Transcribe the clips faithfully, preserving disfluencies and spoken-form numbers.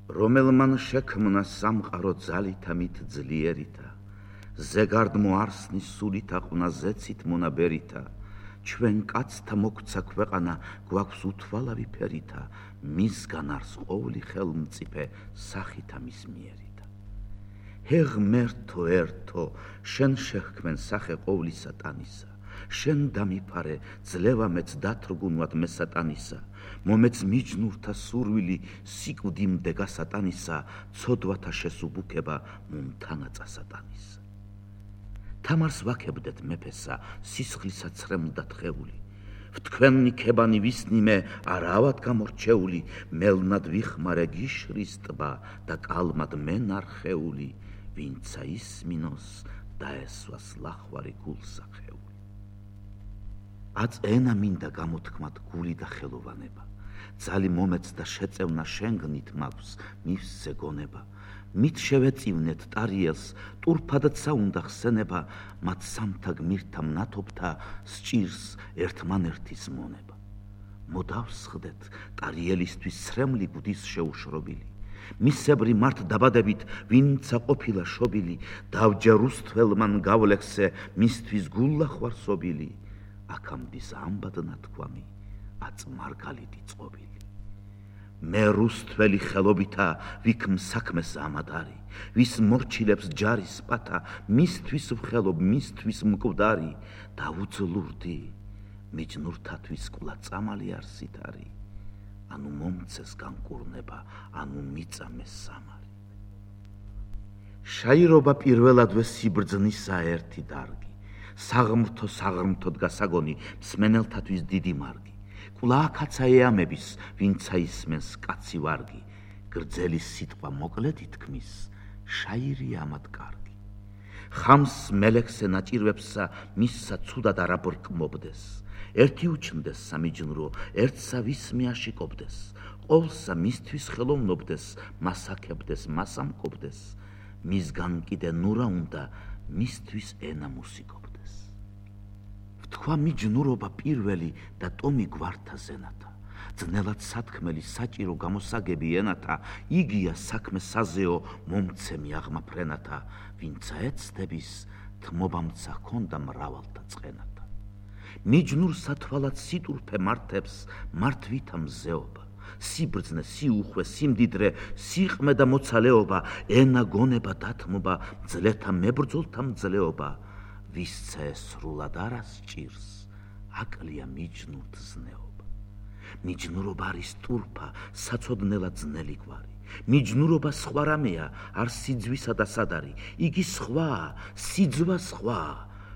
რომელმან შექმნა სამყარო ძალითა მით ძლიერითა, ზეგარდ მოარსნის სულითა ყვნა ზეცით მონაბერითა, ჩვენ კაცთა მოგვცა ქვეყანა გვაქვს უთვალავი ფერითა, მისგან არს ყოვლი ხელმწიფე სახითა მის მიერითა. ჰე ღმერთო ერთო, შენ შეჰქმენ სახე ყოვლი სატანისა, შენ დამიფარე ძლევა მეც დათრგუნვად მე სატანისა, მომეც მიჯნურთა სურვილი სიკვდი მდეგა სატანისა, ცოდვათა შესუბუქება მუნთანაწა სატანისა. თამარს ვაქებდეთ მეფესა, სისხლისა ცრემლდა თხეული, ვთქვენ ნიქებანი ვისნიმე არავად გამორჩეული, მელნად ვიხმარე გიშრის ტბა და კალმად მენარხეული, ვინცა ისმინოს დაესვას ლახვარი გულსახეული. აწ ენა მინდა გამოთქმად გული და ხელოვანება, ძალი მომეც და შეწევნა შენგნით მაქვს მივსზე გონება, მით შევეწივნეთ ტარიელს, ტურფადად საუნდა ხსენება, მათ სამთა გმირთა მნათობთა სჭირს ერთმანერთის მონება. მოდავსხდეთ ტარიელისთვის სრემლი გუდის შეუშრობილი, მისებრი მართ დაბადებით ვინცა ყოფილა შობილი, დავჯა რუსთველმან გავლექსე მისთვის გულლახვარსობილი, აქამდის ამბად ნათქვამი აწ მარგალიტი წყობილი. მე რუსთველი ხელობითა ვიქმ საქმეს ამადარი, ვის მორჩილებს ჯარის პათა, მისთვის ვხელობ, მისთვის მკვდარი, დავუძლურდი მიჯნურთათვის კვლա წამალი არსით არი, ანუ მომცეს განკურნება, ანუ მიწამეს სამარი. შაირობა პირველადვე სიბრძნისა ერთი დარგი, საღმრთო საღრმთოდ გასაგონი მსმენელთათვის დიდი მარგი, კვლავ კაცა ეამების, ვინცა ისმენს კაცი ვარგი, გრძელი სიტყვა მოკლედ ითქმის, შაირი ამად კარგი. ხამს მელექსე ნაჭირვებსა მისსა ცუდად არ აბრკმობდეს, ერთი უჩნდეს სამიჯნურო, ერთსა ვისმე აშიკობდეს, ყოვლსა მისთვის ხელოვნობდეს, მას აკებდეს, მას ამკობდეს, მისგან კიდე ნურა უნდა, მისთვის ენა მუსიკობდეს. თქვა მიჯნურობა პირველი და ტომი გვართა ზენათა, ძნელად სათქმელი საჭირო გამოსაგები ენათა, იგია საქმე საზეო მომცემი აღმა ფრენათა, ვინცა ეცდების თმობამცა ჰქონდა მრავალთა წყენათა. მიჯნურ სათვალად სიტურფე მართებს მართვითა მზეობა, სიბრძნე, სიუხვე, სიმდიდრე, სიყმე და მოცალეობა, ენა გონება დათმობა, ძლეთა მებრძოლთა მძლეობა, ვისცა სრულად არ ასჭირს, აკლია მიჯნურთ ზნეობა. მიჯნურობა არის ტურფა, საცოდნელად ძნელი გვარი, მიჯნურობა სხვა რამეა, არ სიძვისა და სადარი, იგი სხვაა, სიძვა სხვაა,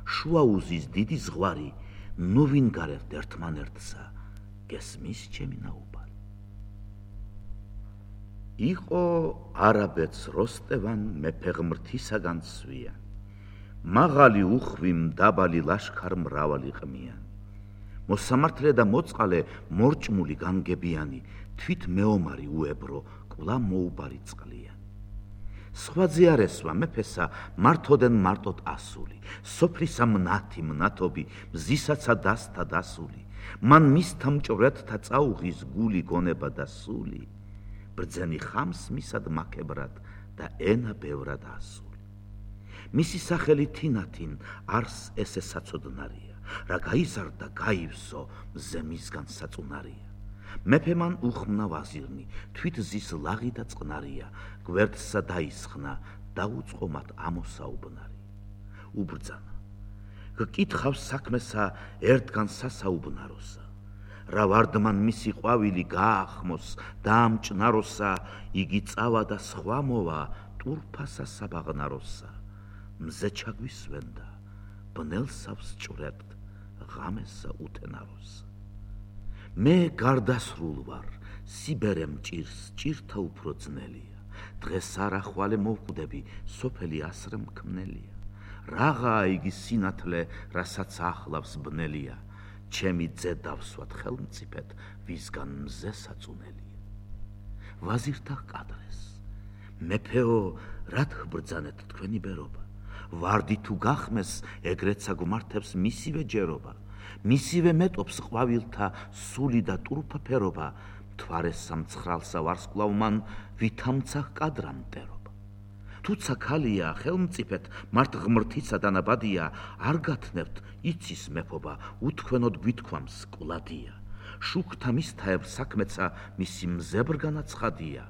შუაუზის დიდი ზღვარი, ნუ ვინგარებთ ერთმანერთსა, გესმის ჩემი ნაუბარი. იყო არაბეთს როსტევან მეფე ღმრთისაგან სვიანი, მაღალი უხვი მდაბალი ლაშქარ მრავალი ყმიანი, მოსამართლე და მოწყალე მორჭმული განგებიანი, თვით მეომარი უებრო კვლავ მოუბარი წყლიანი. სხვაძე არ ესვა მეფესა მართოდენ მარტოდ ასული, სოფლისა მნათი მნათობი, მზისაცა დასთა დასული, მან მისთა მჭვრეთთა წაუღის გული გონება და სული, ბრძენი ხამს მისად მაკებრად და ენა ბევრად ასული. მისი სახელი თინათინ არს ესე საცოდნარია, რა გაიზარდა გაივსო მზე მისგან საწუნარია. მეფე მან უხმნა ვაზირნი, თვით ზის ლაღი და წყნარია, გვერდსა დაისხნა, დაუწყო მათ ამოსაუბნარი. უბრძანა, გკითხავს საქმესა ერთგან სასაუბნაროსა, რა ვარდმან მისი ყვავილი გაახმოს დაამჭნაროსა, იგი წავა და სხვა მოვა ტურფასა საბაღნაროსა, მზე ჩაგვისვენდა, ბნელსავს ჭვრებთ, ღამესა უთენაროსა. მე გარდასრულ ვარ, სიბერე მჭირს, ჭირთა უფრო ძნელია, დღეს არ ახვალე მოვკვდები, სოფელი ასრე მქმნელია, რაღაა იგი სინათლე, რასაც ახლავს ბნელია, ჩემი ძე დავსვათ ხელმწიფეთ, ვისგან მზე საწუნელია. ვაზირთა ჰყადრეს, მეფეო, რად ჰბრძანეთ თქვენი ბერობა, ვარდი თუ გახმეს, ეგრეცა გვმართებს მისივე ჯერობა, მისივე მეტობს ყვავილთა სული და ტურფფერობა, მთვარეს სამცხრალსა ვარსკვლავ მან ვითამცა ჰკადრა მტერობა. თუცა ქალია ხელმწიფეთ მართ ღმრთისა დანაბადია, არ გათნევთ იცის მეფობა, უთქვენოდ გვითქვამს კვლადია. შუქთა მისთაებ საქმეცა მისი მზებრგანა ცხადია,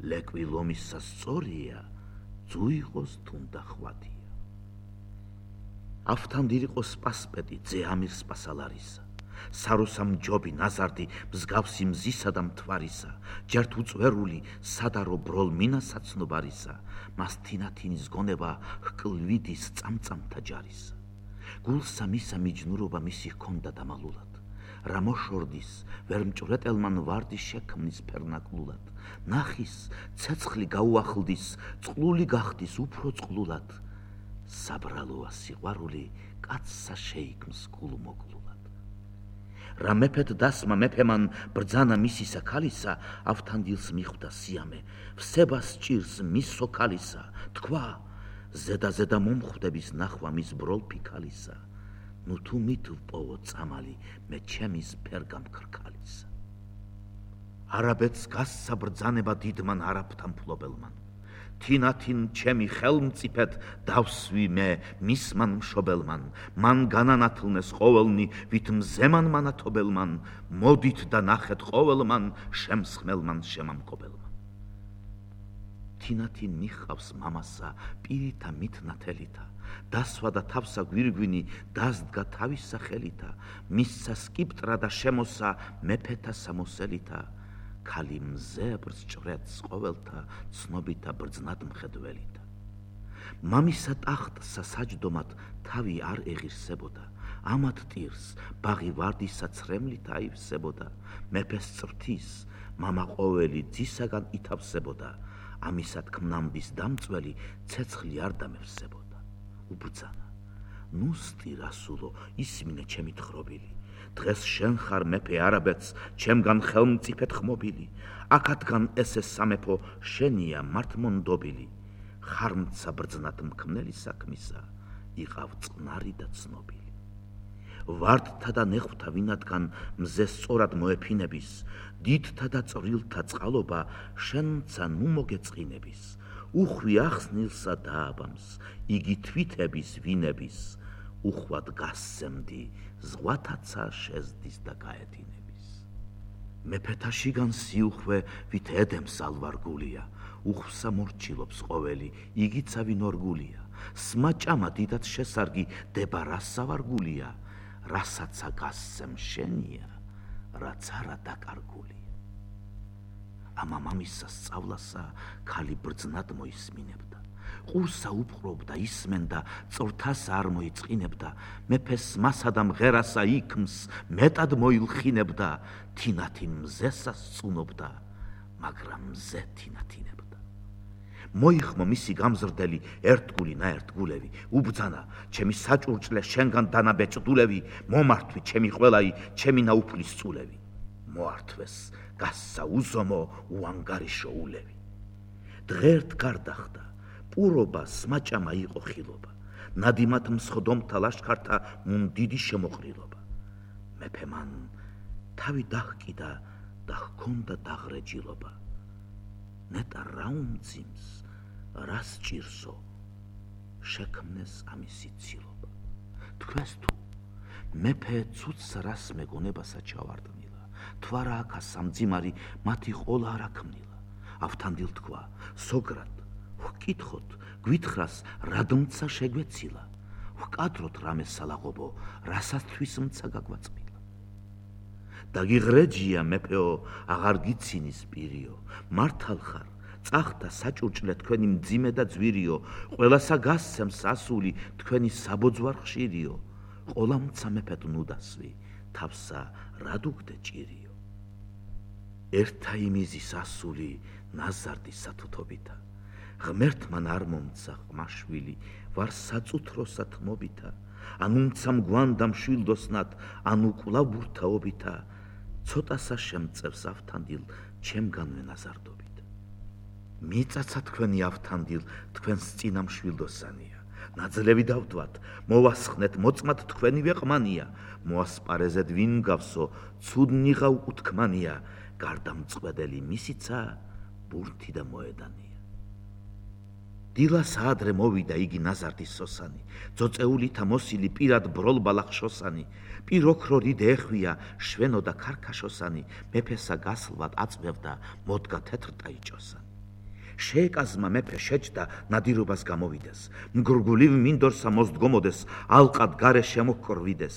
ლეკვი ლომისა სწორია, ძუიღოს თუნდა ხვადია. ავთანდილ იყო სპასპეტი ძე ამირ სპასალარისა, საროსა მჯობი ნაზარდი მსგავსი მზისა და მთვარისა, ჯერთ უწვერული სადარო ბროლ მინა საცნობარისა, მას თინათინის გონება ჰკლვიდის წამწამთა ჯარისა. გულსა მისა მიჯნურობა მისი ჰქონდა დამალულად, რა მოშორდის ვერ მჭვრეტელმან ვარდი შექმნის ფერნაკლულად, ნახის ცეცხლი გაუახლდის, წყლული გახდის უფრო წყლულად, საბრალოა სიყვარული კაცსა შეიქმს გულმოკლულად. რა მეფეთ დასმა მეფემან ბრძანა მისისა ქალისა, ავთანდილს მიხვდა სიამე, ვსებას ჭირს მის სოქალისა, თქვა ზედა-ზედა მომხვდების ნახვა მის ბროლ ფიქალისა, ნუ თუ მით ვპოვო წამალი მე ჩემის ფერგამქრქალისა. არაბეთს გასცა ბრძანება დიდმან არაბთან მფლობელმან, თინათინ ჩემი ხელმწიფეთ დავსვი მე მისმან მშობელმან, მან განანათლნეს ყოველნი ვით მზემან მანათობელმან, მოდით და ნახეთ ყოველმან შემსხმელმან შემამკობელმან. თინათინ მიჰყავს მამასა პირითა მითნათელითა, დასვა და თავსა გვირგვინი დასდგა თავისა ხელითა, მისცა სკიპტრა და შემოსა მეფეთა სამოსელითა, ქალი მზებრს ჭრეთს ყოველთა ცნობითა ბრძნად მხედველითა. მამისა ტახტსა საჯდომად თავი არ ეღირსებოდა, ამათ ტირს ბაღი ვარდისა ცრემლით აივსებოდა, მეფეს წრთის მამა ყოველი ძისაგან ითავსებოდა, ამისად ქმნამდის დამწველი ცეცხლი არ დამევსებოდა. უბრძანა, ნუ სტი რასულო ისმინე ჩემი თხრობილი, დღეს შენ ხარ მეფე არაბეთს ჩემგან ხელმწიფეთ ხმობილი, აქათგან ესე სამეფო შენია მართმონდობილი, ხარმცა ბრძნად მქმნელი საქმისა, იყავ წყნარი და ცნობილი. ვარდთა და ნეხვთა ვინადგან მზე სწორად მოეფინების, დიდთა და წვრილთა წყალობა შენცა ნუ მოგეწყინების, უხვი ახსნილსა დააბამს, იგი თვითების ვინების, უხვად გასცემდი, ზღვათაცა შეზდის და გაედინების. მეფეთა შიგან სიუხვე ვით ედემს ალვარგულია, უხვსა მორჩილობს ყოველი, იგიცა ვინ ორგულია, სმაჭამა დიდად შესარგი დება რასა ვარგულია, რასაცა გასცემ შენია, რაც არა დაკარგულია. ამა მამისა სწავლასა ქალი ბრძნად მოისმინებდა, ყურსა უპყრობდა ისმენდა, წვრთასა არ მოიწყინებდა, მეფეს მასა და მღერასა იქმს მეტად მოილხინებდა, თინათინ მზესა სწუნობდა, მაგრამ მზე თინათინებდა. მოიხმო მისი გამზრდელი ერთგული ნაერთგულევი, უბძანა ჩემი საჭურჭლე შენგან დანაბეჭდულევი, მომართვი ჩემი ყველაი, ჩემი ნაუფლის წულევი. მოართვეს გასცა უზომო უანგარიშო ულევი. დღერთ გარდახდა, პურობა სმაჭამა იყო ხილობა, ნადიმათ მსხდომთა ლაშქართა მუნდიდი შემოყრილობა. მეფე მან თავი დაჰკიდა და ჰქონდა დაღრეჯილობა. ნეტა რა უმძიმს, რას ჭირსო, შექმნეს ამისი ცილობა. თქვენს თუ მეფე ცუცს რას მეგონებასა ჩავარდნილა, თვარა აქა სამძიმარი მათი ყოლა არ აქმნილა. ავთანდილ თქვა, სოგრად, ვკითხოთ, გვითხრას რადმცა შეგვეცილა, ვკადროთ რამე სალაღობო, რასათვის მცა გაგვაწმილა. დაგიღრეჯია მეფეო, აღარ გიცინის პირიო, მართალ ხარ, წახდა საჭურჭლე თქვენი მძიმე და ძვირიო, ყველასა გასცემს ასული თქვენი საბოძვარ ხშირიო, ყოლამცა მეფეთ ნუ დასვი, თავსა რად უგდე ჭირიო. ერთა იმიზის ასული ნაზარდი სათუთობითა, ღმერთმან არ მომცა ყმაშვილი, ვარ საწუთროსა თმობითა, ან უმცა მგვანდა მშვილდოსნად, ანუ კვლავ ბურთაობითა, ცოტასა შემწევს ავთანდილ ჩემგანვე ნაზარდობით. მიწაცა თქვენი ავთანდილ თქვენს წინა მშვილდოსანია, ნაძლევი დავდვათ, მოვასხნეთ მოწმად თქვენივე ყმანია, მოასპარეზეთ ვინ გავსო, ცუდნიღა უკუთქმანია, გარდა მწყვედელი მისიცა, ბურთი და მოედანია. დილას ადრე მოვიდა იგი ნაზარდის სოსანი, ძოწეულითა მოსილი პირად ბროლბალახშოსანი, პიროქრო რიდე ეხვია, შვენო და ქარქაშოსანი, მეფესა გასლვად აწვევდა, მოდგა თეთრტაიჭოსანი. შეეკაზმა მეფე შეჯდა, ნადირობას გამოვიდეს, მგრგულივ მინდორსა მოსდგომოდეს, ალყად გარე შემოჰკრვიდეს,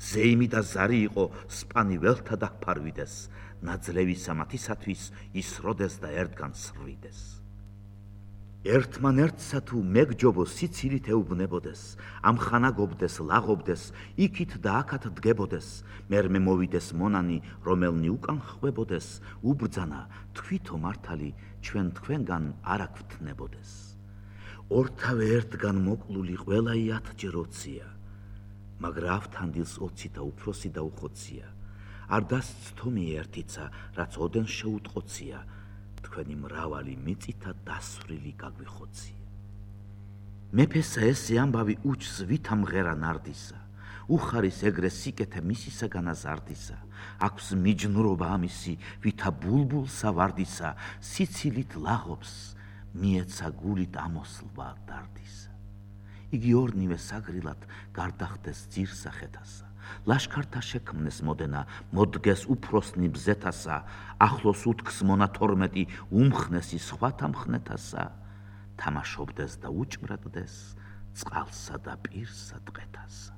ზეიმი და ზარი იყო, სპანი ველთა დაფარვიდეს, ნაძლევი სამათისათვის ისროდეს და ერთგან სრვიდეს. ერთმანერთსა თუ მეგჯობო სიცილით ეუბნებოდეს, ამხანაგობდეს, ლაღობდეს, იქით და აქათ დგებოდეს, მერმე მოვიდეს მონანი, რომელნი უკან ხვებოდეს, უბრძანა, თვითო მართალი, ჩვენ თქვენგან არ აგვთნებოდეს. ორთავე ერთგან მოკლული ყველაი ათჯეროცია, მაგრა ავთანდილს ოცი და უფროსი და უხოცია, არ დასცთომი ერთიცა, რაც ოდენ შეუტყოცია, თქვენი მრავალი მიწითა დასვრილი გაგვიხოცია. მეფესა ესე ამბავი უჩს ვითა მღერა ნარდისა, უხარის ეგრე სიკეთე მისისაგან აზარდისა, აქვს მიჯნურობა ამისი, ვითა ბულბულსა ვარდისა, სიცილით ლაღობს, მიეცა გულით ამოსლვა დარდისა. იგი ორნივე საგრილად გარდახდეს ძირსახეთასა, ლაშქართა შექმნეს მოდენა, მოდგეს უფროსნი ბზეთასა, ახლოს უთქს მონა თორმეტი, უმხნესი სხვათა მხნეთასა, თამაშობდეს და უჭმრადდეს, წყალსა და პირსა ტყეთასა.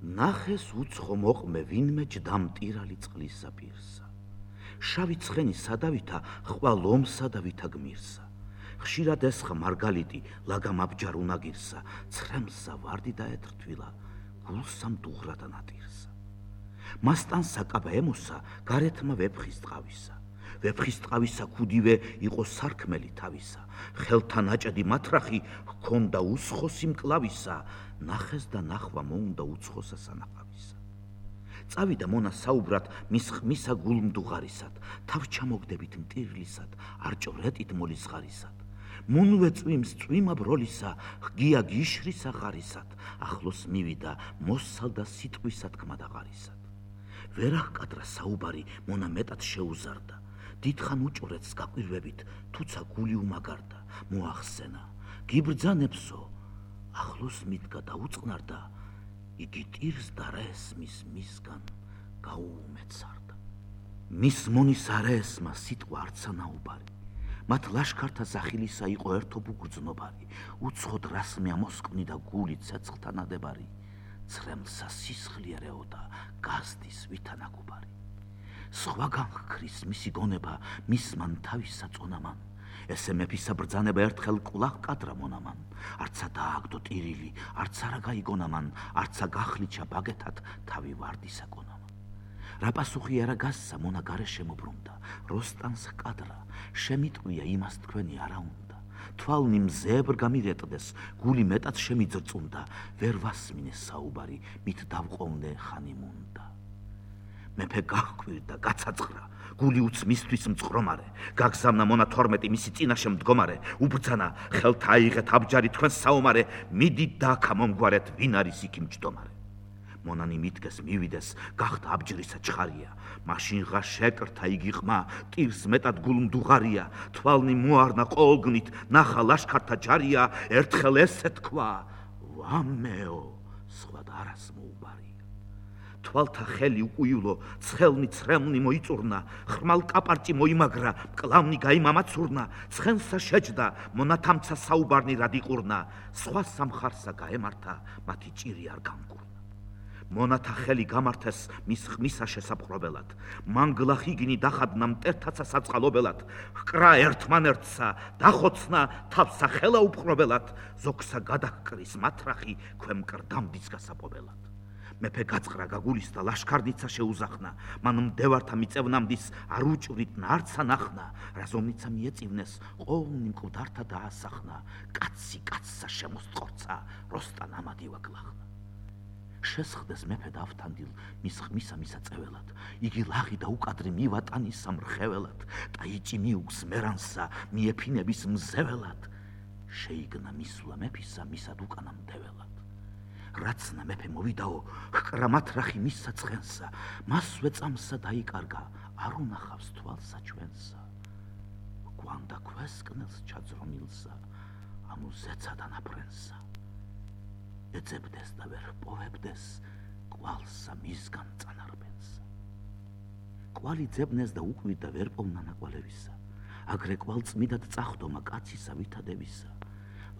ნახეს უცხო მოყმე ვინმე ჯდამტირალი წყლისა პირსა, შავი ცხენი სადავითა ხვალ ომსა და ვითა გმირსა, ხშირად ესხა მარგალიტი ლაგამ აბჯარ უნაგირსა, ცრემსა ვარდი და ეთრთვილა, გულსამ დუღრა და ნატირსა. მასთან საკაბა ემოსა გარეთმა ვეფხის ტყავისა, ვეფხის ტყავისა ქუდივე იყო სარქმელი თავისა, ხელთა ნაჭედი მათრახი ჰქონდა უსხოსი მკლავისა, ნახეს და ნახვა მოუნდა უცხოსა სანაყავისა. წავიდა მონა საუბრად მის ხმისა გულმდუღარისად, თავ ჩამოგდებით მტირლისად, არჭვრეტით მოლისხარისად. მუნვე წვიმს წვიმა ბროლისა, ღია გიშრისა ღარისად, ახლოს მივიდა მოსალდა სიტყვისა თქმა და ღარისად. ვერ აღკადრა საუბარი მონა მეტად შეუზარდა, დიდხან უჭვრეთს გაკვირვებით, თუცა გული უმაგარდა, მოახსენა, გიბრძანებსო, ახლოს მიდგა და უწყნარდა, იგი ტირს და რესმის მისგან გაუუმეცარდა. მის მონის არაესმა სიტყვა არცა ნაუბარი, მათ ლაშქართა ზახილისა იყო ერთობ უგრძნობარი, უცხოდ რასმე ამოსკვნი და გული ცეცხლთა ნადებარი, ცრემლსა სისხლიერეოდა, გაზდის ვითანაგუბარი. სხვაგან ჰქრის მისი გონება, მისმან თავისა წონამან, ესე მეფისა ბრძანება ერთხელ კვლავ კადრა მონამან, არცა დააგდო ტირილი, არც არა გაიგონამან, არცა გახლიჩა ბაგეთად თავი ვარდისა გონამან. რა პასუხი არა გასცა მონა გარე შემობრუნდა, როსტანს ჰკადრა, შემიტყვია იმას თქვენი არა უნდა, თვალნი მზებრ გამირეტდეს, გული მეტად შემიძრწუნდა, ვერ ვასმინე საუბარი, მით დავყოვნე ხანი მუნდა. მეფე გահკვირდა, გაცაწყრა, გული უც მისთვის მწყრომარე, გაგზავნა მონა თორმეტი მისი წინაშე მდგომარე, უბრძანა, ხელთ აიღეთ აბჯარი თქვენ საომარე, მიდით და აქა მომგვარეთ, ვინ არის იქ მჯდომარე. მონანი მიდგეს მივიდეს, გახდა აბჯრისა ჩხარია, მაშინღა შეკრთა იგი ყმა, ტირს მეტად გულმდუღარია, თვალნი მოარნა ყოლგნით, ნახა ლაშქართა ჯარია, ერთხელ ესე თქვა, ვამეო, სხვა არას მოუბარია. თვალთა ხელი უკუივლო, ცხელნი ცრემლნი მოიწურნა, ხრმალ კაპარჭი მოიმაგრა, მკლავნი გაიმამაცურნა, ცხენსა შეჯდა, მონათამცა საუბარნი რად იყურნა, სხვა სამხარსა გაემართა, მათი ჭირი არ გამგურნა. მონათა ხელი გამართეს მის ხმისა შესაპყრობელად, მანგლა ხიგნი დახადნა მტერთაცა საწყალობელად, ჰკრა ერთმანერთსა, დახოცნა თავსა ხელა უპყრობელად, ზოგსა გადაჰკრის მათრახი ქვემ კრდამდის გასაპობელად. მეფე გაწყრა გაგულისდა, ლაშქარნიცა შეუზახნა, მან მდევართა მიწევნამდის არ უჭვრით ნარცა ნახნა, რაზომნიცა მიეწივნეს, ყოვლნი მკვდართა დაასახნა, კაცი კაცსა შემოსტყორცა, როსტან ამადი ვაგლახნა. შესხდეს მეფე დავთანდილ მის ხმისა მისაწეველად, იგი ლაღი და უკადრი მივატანისა მრხეველად, და იჭი მიუგს მერანსა მიეფინების მზეველად, შეიგნა მისვლა მეფისა მისად უკანა მდეველად. რაცნა მეფე მოვიდაო, ჰკრა მათრახი მისსა ცხენსა, მასვე წამსა დაიკარგა, არ უნახავს თვალსა ჩვენსა. გვანდა ქვესკნელს ჩაძრონილსა, ანუ ზეცა დანაფრენსა. ეძებდეს და ვერ ჰპოვებდეს, კვალსა მისგან წანარბენსა. კვალი ძებნეს და უკვირდა ვერ პოვნანა კვალევისა. აგრე კვალ წმიდად წახდომა კაცისა ვითადებისა.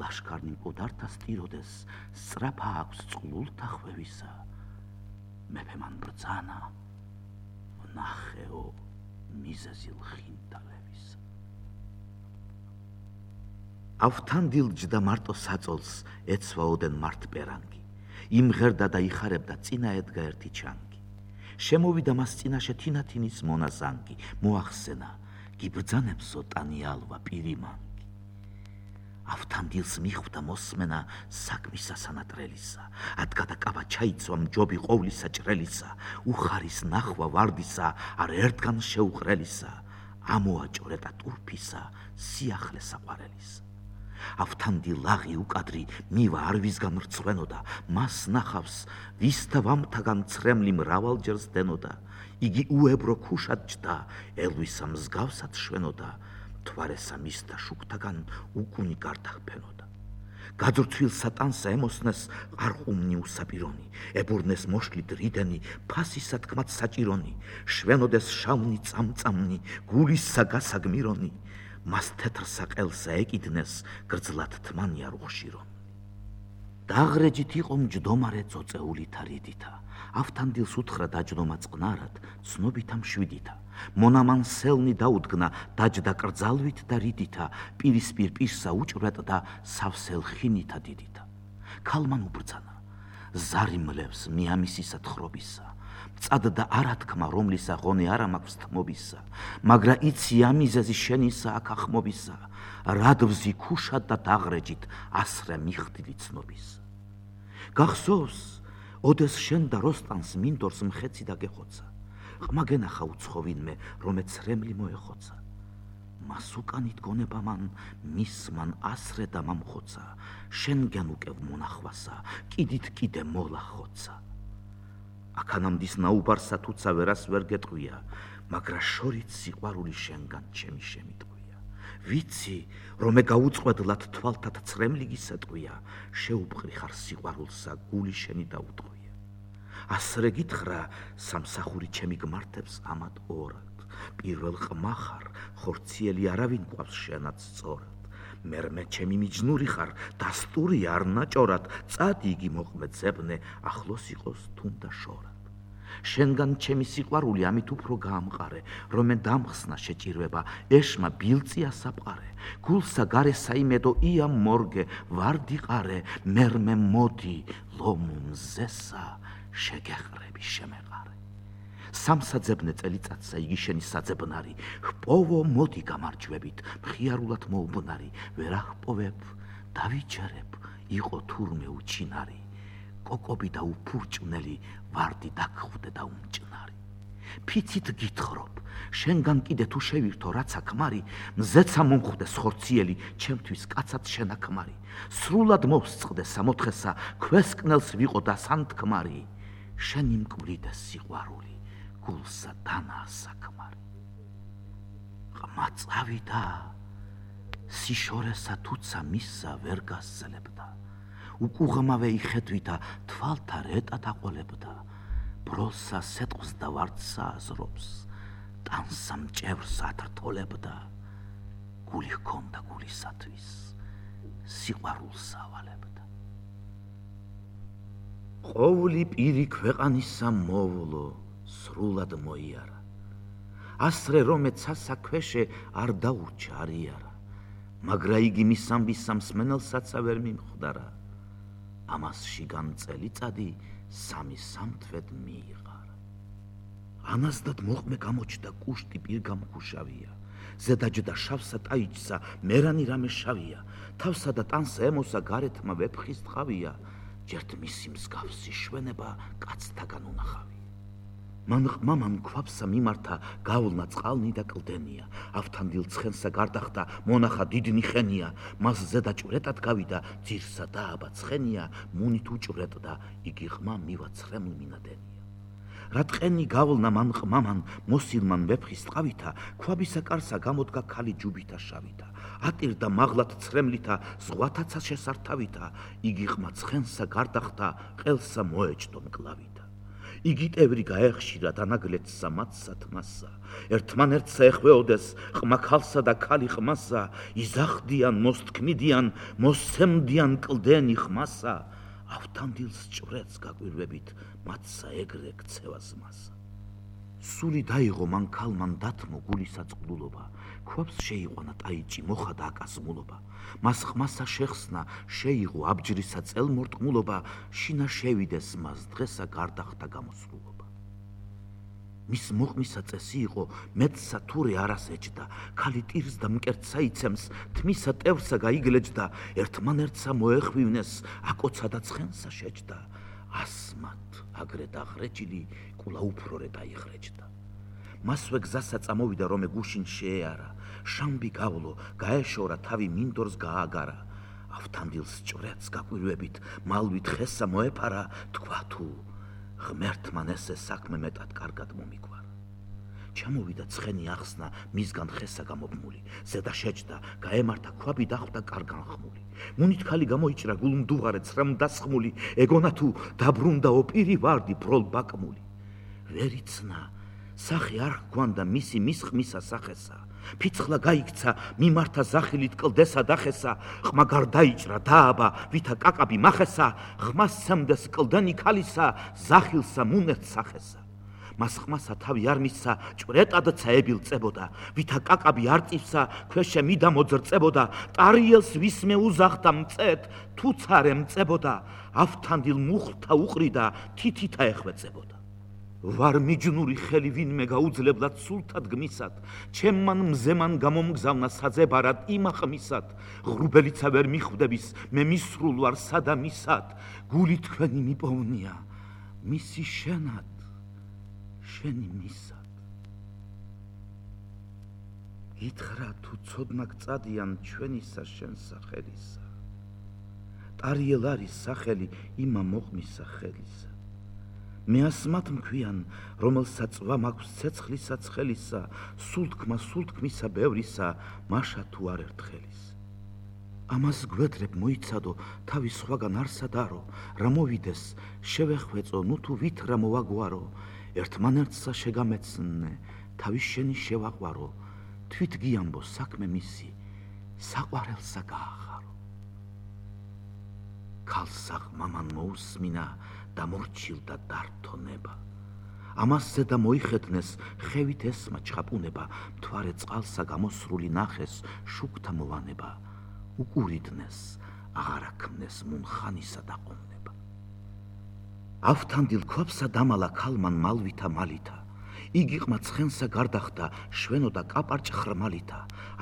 ლაშქარნი მკვდართა სტიროდეს, სწრაფა აქვს წყლულთა ხვევისა. მეფე მან ბრძანა, ვნახეო მიზეზილ ხინტალევისა. ავთანდილ ჯდა მარტო საწოლს ეცვაოდენ მარტპერანგი. იმღერდა და იხარებდა წინა ედგა ერთი ჩანგი. შემოვიდა მას წინაშე თინათინის მონაზანგი, მოახსენა, გიბრძანებსო ტანიალვა პირიმანგი. ავთანდილს მიხვდა მოსმენა საქმისა სანატრელისა, ადგა და კაბა ჩაიცვა მჯობი ყოვლისა ჭრელისა, უხარის ნახვა ვარდისა, არ ერთგან შეუყრელისა, ამოაჭორე და ტურფისა, სიახლე საყვარელისა. ავთანდილ ლაღი უკადრი მივა არ ვისგან რწვენოდა, მას ნახავს ვისთა ვამთაგან ცრემლი მრავალჯერ სდენოდა, იგი უებრო ქუშად ჯდა, ელვისა მსგავსად შვენოდა, თვარესა მისთა შუქთაგან უკუნი გარდახფენოდა. გაძრცვილ სატანსა ემოსნეს ყარყუმნი უსაპირონი, ებურნეს მოშლით რიდენი, ფასისა თქმად საჭირონი, შვენოდეს შავნი წამწამნი, გულისა გასაგმირონი, მას თეთრსა ყელსა ეკიდნეს, გრძლად თმანი არ უხშირონი. დაღრეჯით იყო მჯდომარე წოწეულითა რიდითა, ავთანდილს უთხრა დაჯდომა წყნარად, ცნობითა მშვიდითა. მონამან სელნი დაუდგნა, დაჯდა კრძალვით და რიდითა, პირისპირ პირსა უჭვრეტ და სავსელ ხინითა დიდითა. ქალმან უბრძანა, ზარი მლევს მიამისისა თხრობისა, მწადდა არათქმა, რომლისა ღონე არა მაქვს თმობისა, მაგრა იცი ამიზეზი შენისა აქ ახმობისა, რადვზი ქუშად და დაღრეჯით ასრე მიხდილი ცნობისა. გახსოვს, ოდეს შენ და როსტანს მინდორს მხეცი და გეხოცა, ყმა გენახა უცხოვინმე, რომე ცრემლი მოეხოცა. მას უკანით გონება მან, მის მან ასრე და მამხოცა, შენ გენუკევ მონახვასა, კიდით კიდე მოლახოცა. აქანამდის ნაუბარსა თუცა ვერას ვერ გეტყვია, მაგრა შორით სიყვარული შენგან ჩემი შემიტყვია. ვიცი, რომე გაუწყვედლად თვალთად ცრემლი გისეტყვია, შეუბყრი ხარ სიყვარულსა, გული შენი დაუტყვია. ასრე გითხრა, სამსახური ჩემი გმართებს ამად ორად, პირველ ყმა ხარ, ხორციელი არავინ გვყავს შენად სწორად. მერმე ჩემი მიჯნური ხარ, დასტური არ ნაჭორად, წადი იგი მოყმე ძებნე, ახლოს იყოს თუნდა შორად. შენგან ჩემი სიყვარული ამით უფრო გაამყარე, რომე დამხსნა შეჭირვება, ეშმა ბილწია საფყარე, გულსა გარე საიმედო ია მორგე, ვარდი ყარე, მერმე მოდი, ლომუ მზესა, შეგეყრები შემეყარე. სამსაძებნე წელიწადსა იგი შენი საძებნარი, ჰპოვო მოდი გამარჯვებით, მხიარულად მოუბნარი, ვერ ახპოვებ, დავიჯერებ, იყო თურმე უჩინარი, კოკობი და უფურჭვნელი, ვარდი დაგხვდე და უმჭნარი. ფიცით გითხრობ, შენგან კიდე თუ შევირთო რაცა ქმარი, მზეცა მომხვდეს ხორციელი, ჩემთვის კაცად შენაქმარი, სრულად მოვსწყდე სამოთხესა, ქვესკნელს ვიყო და სანთქმარი, შენი მკვლიდეს სიყვარული, გულსა დანაა საქმარი. ყმა წავიდა, სიშორესა თუცა მისსა ვერ გასცელებდა, უკუღმავე იხედვითა, თვალთა რეტად აყოლებდა, ბროლსა სეტყს და ვარდსა აზრობს, ტანსა მჭევრს ათრთოლებდა, გული ჰქონდა გულისათვის, სიყვარულსა ავალებდა. ყოვლი პირი ქვეყანისა მოვლო, სრულად მოიარა, ასრე რომე ცასა ქვეშე არ დაურჩა არიარა, მაგრა იგი მისამბისა მსმენელსაცა ვერ მიმხვდარა, ამას შიგან წელიწადი სამი სამთვედ მიიღარა. ანასდად მოყმე გამოჩნდა კუშტი პირგამქუშავია, ზედაჯდა შავსა ტაიჭსა მერანი რამე შავია, თავსა და ტანსა ემოსა გარეთმა ვეფხის ტყავია, ჯერთ მისი მსგავსი შვენება კაცთაგან უნახავია. მან ყმამან ქვაბსა მიმართა გავლნა წყალნი და კლდენია ავთანდილ ცხენსა გარდახდა მონახა დიდნი ხენია მას ზედა ჭვრეტად გავიდა ძირსა დააბა ცხენია მუნით უჭვრეტდა იგი ყმა მივაცრემლ მინადენია რა ტყენი გავლნა მან ყმამან მოსილმან ვეფხის ტყავითა ქვაბისა კარსა გამოდგა ქალი ჯუბითა შავითა ატირდა მაღლად ცრემლითა ზღვათაცა შესართავითა იგი ყმა ცხენსა გარდახდა ყელსა მოეჭდო მკლავითა იგი ტევრი გაეხშირა დანაგლეთსა მათსა თმასა ერთმანერთსა ეხვეოდეს ყმა ქალსა და ქალი ყმასა იზახდიან მოსთქმიდიან მოსცემდიან კლდენი ხმასა ავთანდილს ჭვრეტს გაკვირვებით მათსა ეგრე ქცევა ზმასა სული დაიღო მან ქალმან დათმო გულისა წყლულობა ქვაბს შეიყვანა ტაიჭი მოხადა აკაზმულობა მას ხმასა შეხსნა შეიღო აბჯრისა წელმორტყმულობა შინა შევიდეს მას დღესა გარდახდა გამოსრულობა მის მოყმისა წესი იყო მეტსა თურე არას ეჭდა ქალი ტირს და მკერდსა იცემს თმისა ტევრსა გაიგლეჯდა ერთმანერთსა მოეხვივნეს აკოცა და ცხენსა შეჯდა ასმათ აგრე დაღრეჯილი კულა უფრორე დაიხრეჯდა მასვე გზასა წამოვიდა რომე გუშინ შეეარა შამბი გავლო გაეშორა თავი მინდორს გააგარა ავთანდილს ჭვრეტს გაკვირვებით მალვით ხესა მოეფარა თქვა თუ ღმერთმან ესე საქმე მეტად კარგად მომიგვარა ჩამოვიდა ცხენი ახსნა მისგან ხესა გამობმული ზედა შეჯდა გაემართა ქვაბი დახვდა კარგან ხმული მუნით ქალი გამოიჭრა გულმდუღარე ცრემდასხმული ეგონა თუ დაბრუნდაო პირი ვარდი ბროლ ბაკმული ვერიცნა სახე არ ჰგვანდა მისი მის ხმისა სახესა ფიცხლა გაიქცა მიმართა ზახილით კლდესა დახესა ხმა გარდაიჭრა დააბა ვითა კაკაბი მახესა ხმას სემდეს კლდენი ქალისა ზახილსა მუნერთ სახესა მას ხმასა თავი არ მისცა ჭვრეტადცა ებილწებოდა ვითა კაკაბი არ წივსა ქვეშე მიდა მოძრწებოდა ტარიელს ვისმე უზახდა მწეთ თუცარე მწებოდა ავთანდილ მუხლთა უყრიდა თითითა ეხვეწებოდა ვარ მიჯნური ხელი ვინმე გაუძლებლად სულთად გმისად ჩემმან მზემან გამომგზავნა საძებარად იმახმისად ღრუბელიცა ვერ მიხვდების მე მისრულ ვარ სადამისად გული თქვენი მიპოვნია მისი შენად შენი მისად გითხრა თუ ცოდნა გწადიან ჩვენისა შენ სახელისა ტარიელ არის სახელი იმა მოყმისა ხელისა მე ასმათ მქვიან რომელსაც წვა მაქვს ცეცხლისა ცხელისა სულთქმა სულთქმისა ბევრისა მაშა თუ არ ერთხელის ამას გვედრებ მოიცადო თავის სხვაგან არსადარო რა მოვიდეს შევეხვეწო ნუ თუ ვით რა მოვაგვარო ერთმანერთსა შეგამეცნე თავის შენი შევაყვარო თვით გიამბო საქმე მისი საყვარელსა გაახარო ქალსა ყმამან მოусმინა დამორჩილდა დართონება ამას ზედა მოიხეთნეს ხევით ესმა ჩხაპუნება მთვარე წყალსა გამოსრული ნახეს შუქთა მოვანება უკურიდნეს აღარ აქმნეს მუნხანისა დაყომნება ავთანდილ ქვაბსა დამალა ქალმან მალვითა მალითა იგი ყმა ცხენსა გარდახდა შვენოდა კაპარჭ ხრმალითა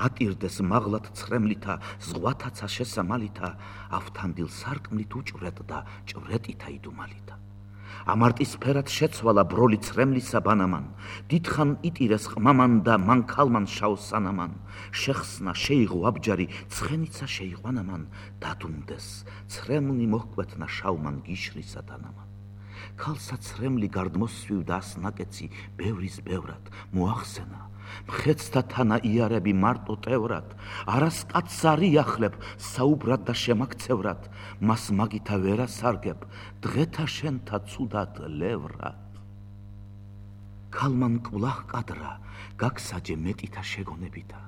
ატირდეს მაღლად ცრემლითა ზღვათაცა შესამალითა ავთანდილ სარკმლით უჭვრეტდა ჭვრეტითა იდუმალითა ამარტისფერად შეცვალა ბროლი ცრემლისა ბანამან დიდხან იტირეს ყმამან და მან ქალმან შავსანამან შეხსნა შეიღო აბჯარი ცხენიცა შეიყვანამან დადუნდეს ცრემლი მოჰკვეთნა შავმან გიშრისა დანამან ქალსა ცრემლი გარდმოსვივდა ასნაკეცი ბევრის ბევრად მოახსენა მხეცთა თანა იარები მარტო ტევრად არას კაცს არ იახლებ საუბრად და შემაქცევრად მას მაგითა ვერ ასარგებ დღეთა შენთა ცუდად ლევრად ქალმან კვლავ კადრა გაგსაჯე მეტითა შეგონებითა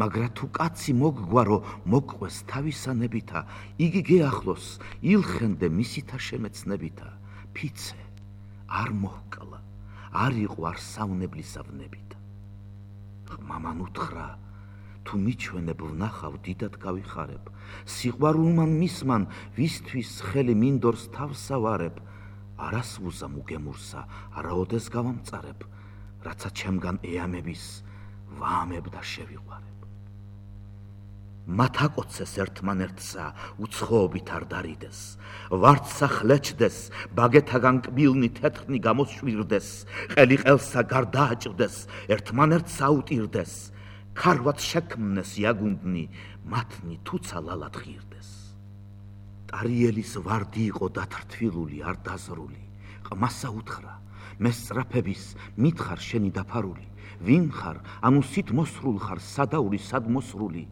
მაგრა თუ კაცი მოგგვარო მოგყვეს თავისანებითა იგი გეახლოს ილხენდე მისითა შემეცნებითა ფიცე არ მოჰკლა არ იყო არ საუნებლისა ვნებითა ყმამან უთხრა თუ მიჩვენებ ვნახავ დიდად გავიხარებ სიყვარულმან მისმან ვისთვის ხელი მინდორს თავსა ვარებ არას ვუზამ უგემურსა არაოდეს გავამწარებ რაცა ჩემგან ეამების ვაამებ და შევიყვარებ მათ აკოცეს ერთმანერთსა უცხოობით არ დარიდეს, ვარდსა ხლეჩდეს, ბაგეთაგან კბილნი თეთრნი გამოსშვირდეს, ყელი ყელსა გარდააჭრდეს, ერთმანერთსა აუტირდეს, ქარვაც შექმნეს იაგუნდნი, მათნი თუცა ლალად ღირდეს. ტარიელის ვარდი იყო დათრთვილული, არ დაზრული, ყმასა უთხრა, მე სწრაფების მითხარ შენი დაფარული, ვინ ხარ, ანუ სით მოსრულ ხარ, სადაური სად მოსრული,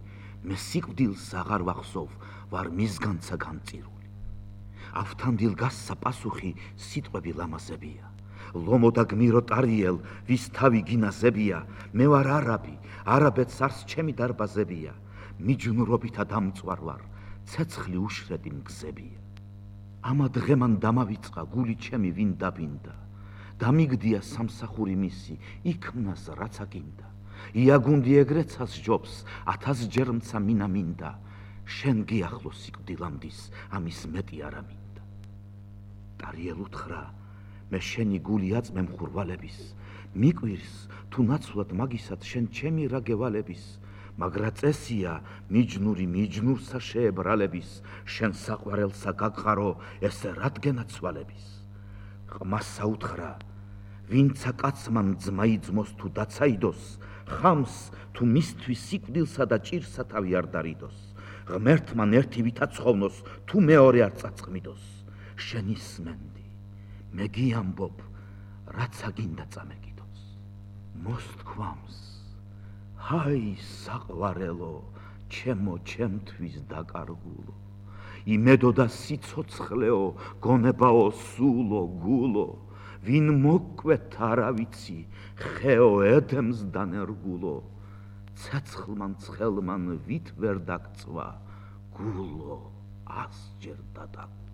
მე სიკვდილს აღარ ვახსოვ, ვარ მისგანცა განწირული. ავთანდილ გასსა პასუხი სიტყვები ლამაზებია, ლომო და გმირო ტარიელ, ვის თავი გინაზებია, მე ვარ არაბი, არაბეთს არს ჩემი დარბაზებია, მიჯნურობითა დამწვარ ვარ, ცეცხლი უშრედი მგზებია. ამა დღემან დამავიწყა გული ჩემი ვინ დაბინდა, დამიგდია სამსახური მისი, იქმნას რაც აკინდა. იაგუნდი ეგრეცას ჯობს, ათასჯერ მცა მინა მინდა, შენ გიახლო სიკვდილამდის, ამის მეტი არა მინდა. ტარიელ უთხრა, მე შენი გული აწმე მხურვალების, მიკვირს თუ ნაცვლად მაგისად შენ ჩემი რა გევალების, მაგრა წესია მიჯნური მიჯნურსა შეებრალების, შენ საყვარელსა გაგყარო, ესე რადგენა ცვალების. ყმასა უთხრა, ვინცა კაცმან ძმა იძმოს თუ დაცაიდოს, ხამს თუ მისთვის სიკვდილსა და ჭირსა თავი არ დარიდოს, ღმერთმან ერთი ვითა ცხოვნოს, თუ მეორე არ წაწყმიდოს, შენ ისმენდი, მე გიამბობ, რაცა გინდა წამეკიდოს. მოსთქვამს, ჰაი საყვარელო, ჩემო ჩემთვის დაკარგულო, იმედო და სიცოცხლეო, გონებაო სულო გულო, ვინ მოკვეთ არა ვიცი, ხეო ედემს დანერგულო, ცეცხლმან ცხელმან ვით ვერ დაგწვა, გულო ასჯერ დადაგულო.